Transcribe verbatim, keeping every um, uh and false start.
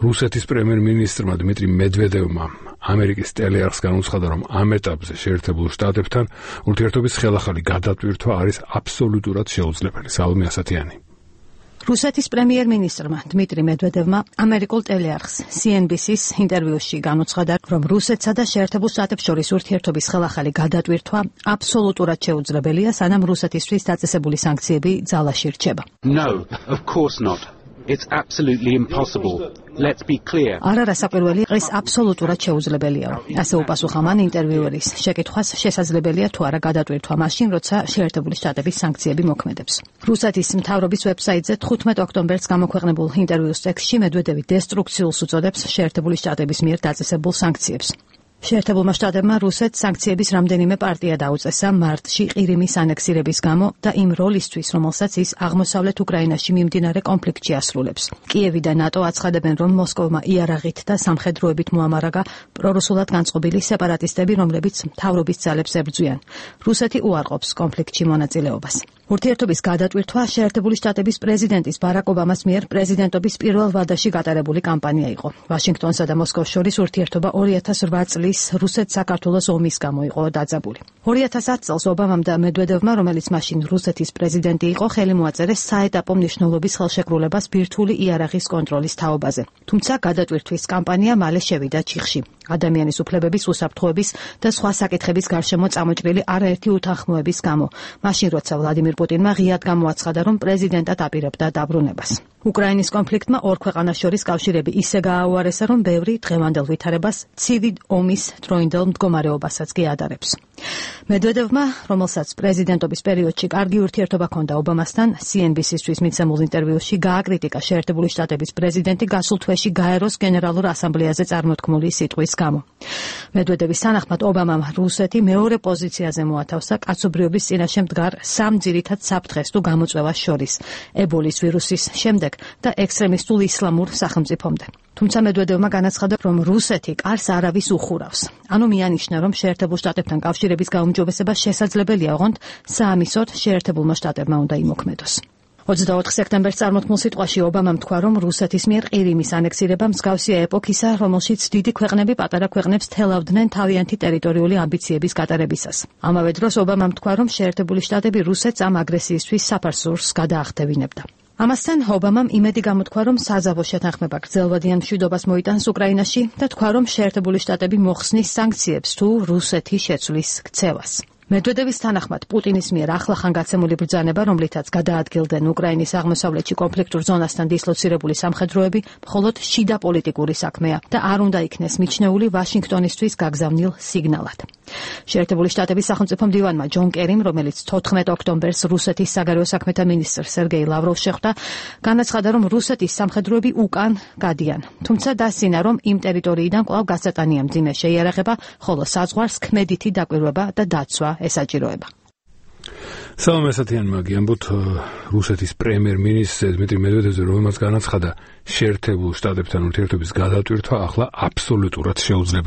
რუსეთის პრემიერ-მინისტრმა დმიტრი მედვედევმა ამერიკის ტელეარხს განუცხადა, რომ ამ ეტაპზე შეერთებულ შტატებთან ურთიერთობის ხელახალი გადატვირთვა არის აბსოლუტურად შეუძლებელი. სალომე ასათიანი. რუსეთის პრემიერ-მინისტრმა დმიტრი მედვედევმა ამერიკულ ტელეარხს სი ენ ბი სის ინტერვიუში განუცხადა, რომ რუსეთსა და შეერთებულ შტატებს შორის ურთიერთობის ხელახალი გადატვირთვა აბსოლუტურად შეუძლებელია, სანამ რუსეთისთვის დაწესებული სანქციები ძალაში რჩება. No, of course not. It's absolutely impossible. Let's be clear. არა რასაკვირველი, ეს აბსოლუტურად შეუძლებელიაო. ასე უპასუხა მან ინტერვიუერის შეკითხვას, შესაძლებელია თუ არა გადატვირთვა მაშინ, როცა შეერთებული შტატების სანქციები მოქმედებს. რუსეთის მთავრობის ვებსაიტზე თხუთმეტ ოქტომბერს გამოქვეყნებულ ინტერვიუს ტექსტში მედვედევი დესტრუქციულს უწოდებს შეერთებული შტატების მიერ დაწესებულ სანქციებს. შეერთებულმა შტატებმა რუსეთს სანქციების რამდენიმე პარტია დაუწესა მარტში ყირიმის ანექსირების გამო და იმ როლისთვის, რომელსაც ის აღმოსავლეთ უკრაინაში მიმდინარე კონფლიქტში ასრულებს. კიევი და ნატო აცხადებენ, რომ მოსკოვმა იარაღით და სამხედროებით მოამარაგა პრორუსულად განწყობილი სეპარატისტები, რომლებიც მთავრობის ძალებს ებრძვიან. რუსეთი უარყოფს კონფლიქტში მონაწილეობას. ურთიერთობის გადატვირთვა შეერთებული შტატების პრეზიდენტის ბარაკ ობამას მიერ პრეზიდენტობის პირველ ვადაში გატარებული კამპანია იყო. ვაშინგტონსა და მოსკოვს შორის ურთიერთობა ორი ათას რვა წლის რუსეთ-საქართველოს ომის გამო იყო დაძაბული. ორი ათას ათ წელს ობამამ და მედვედევმა, რომელიც მაშინ რუსეთის პრეზიდენტი იყო, ხელი მოაწერეს საეტაპო მნიშვნელობის ხელშეკრულებას ბირთვული იარაღის კონტროლის თაობაზე. თუმცა გადატვირთვის კამპანია მალე შევიდა ჩიხში. ადამიანის უფლებების, უსაფრთხოების და სხვა საკითხების გარშემო წამოჭრილი არაერთი უთანხმოების გამო. მაშინ როცა ვლადიმირ პუტინმა ღიად გამოაცხადა, რომ პრეზიდენტად აპირებდა დაბრუნებას. უკრაინის კონფლიქტმა ორ ქვეყანას შორის კავშირები ისე გააუარესა, რომ ბევრი დღევანდელ ვითარებას ცივი ომის დროინდელ მდგომარეობასაც კი ადარებს. მედვედევმა, რომელსაც პრეზიდენტობის პერიოდში კარგი ურთიერთობა ჰქონდა ობამასთან, სი ენ ბი სისთვის მიცემულ ინტერვიუში გააკრიტიკა შეერთებული შტატების პრეზიდენტი გასულ თვეში გაეროს გენერალურ ასამბლეაზე წარმოთქმული სიტყვის გამო. მედვედევის თანახმად ობამამ რუსეთი მეორე პოზიციაზე მოათავსა კაცობრიობის წინაშე მდგარ სამ ძირითად საფრთხეს თუ გამოწვევას შორის, ებოლის ვირუსის შემდეგ და ექსტრემისტულ ისლამურ სახელმწიფომდე. თუმცა მედვედევმა განაცხადა, რომ რუსეთი კარს არავის უხურავს. ანუ მიანიშნა, რომ შეერთებულ შტატებთან კავშირების გაუმჯობესება შესაძლებელია, ოღონდ საამისოდ შეერთებულმა შტატებმა უნდა იმოქმედოს. ოცდაოთხ სექტემბერს წარმოთქმულ სიტყვაში ობამამ თქვა, რომ რუსეთის მიერ ყირიმის ანექსირება მსგავსია ეპოქისა, რომელშიც დიდი ქვეყნები პატარა ქვეყნებს თელავდნენ თავიანთი ტერიტორიული ამბიციების გატარებისას. ამავე დროს ობამამ თქვა, რომ შეერთებული შტატები რუსეთს ამ აგრესიისთვის საფარსურს გადაახტევინებდა. ამასთან ობამამ იმედი გამოთქვა, რომ საზავო შეთანხმება გრძელვადიან მშვიდობას მოიტანს უკრაინაში და თქვა, რომ შეერთებული შტატები მოხსნის სანქციებს თუ რუსეთი შეცვლის ქცევას. მედვედევის თანახმად პუტინის მიერ ახლახან გაცემული ბრძანება, რომლითაც გადაადგილდნენ უკრაინის აღმოსავლეთში კონფლიქტურ ზონასთან დისლოცირებული სამხედროები, მხოლოდ შიდა პოლიტიკური საქმეა და არ უნდა იქნეს მიჩნეული ვაშინგტონისთვის გაგზავნილ სიგნალად. შეერთებული შტატების სახელმწიფო მდივანმა ჯონ კერიმ, რომელიც თოთხმეტ ოქტომბერს რუსეთის საგარეო საქმეთა მინისტრ სერგეი ლავროვს შეხვდა, განაცხადა, რომ რუსეთის სამხედროები უკან გადიან. თუმცა დასცინა, რომ იმ ტერიტორიიდან კვლავ გასატანია მძიმე შეიარაღება, ხოლო საზღვარს ქმედითი დაკვირვება და დაცვა ესაჭიროება. სალომე ასათიანმა გიამბოთ რუსეთის პრემიერ-მინისტრ დმიტრი მედვედევზე, რომელმაც განაცხადა, შეერთებულ შტატებთან ურთიერთობის გადატვირთვა ახლა აბსოლუტურად შეუძლებელი.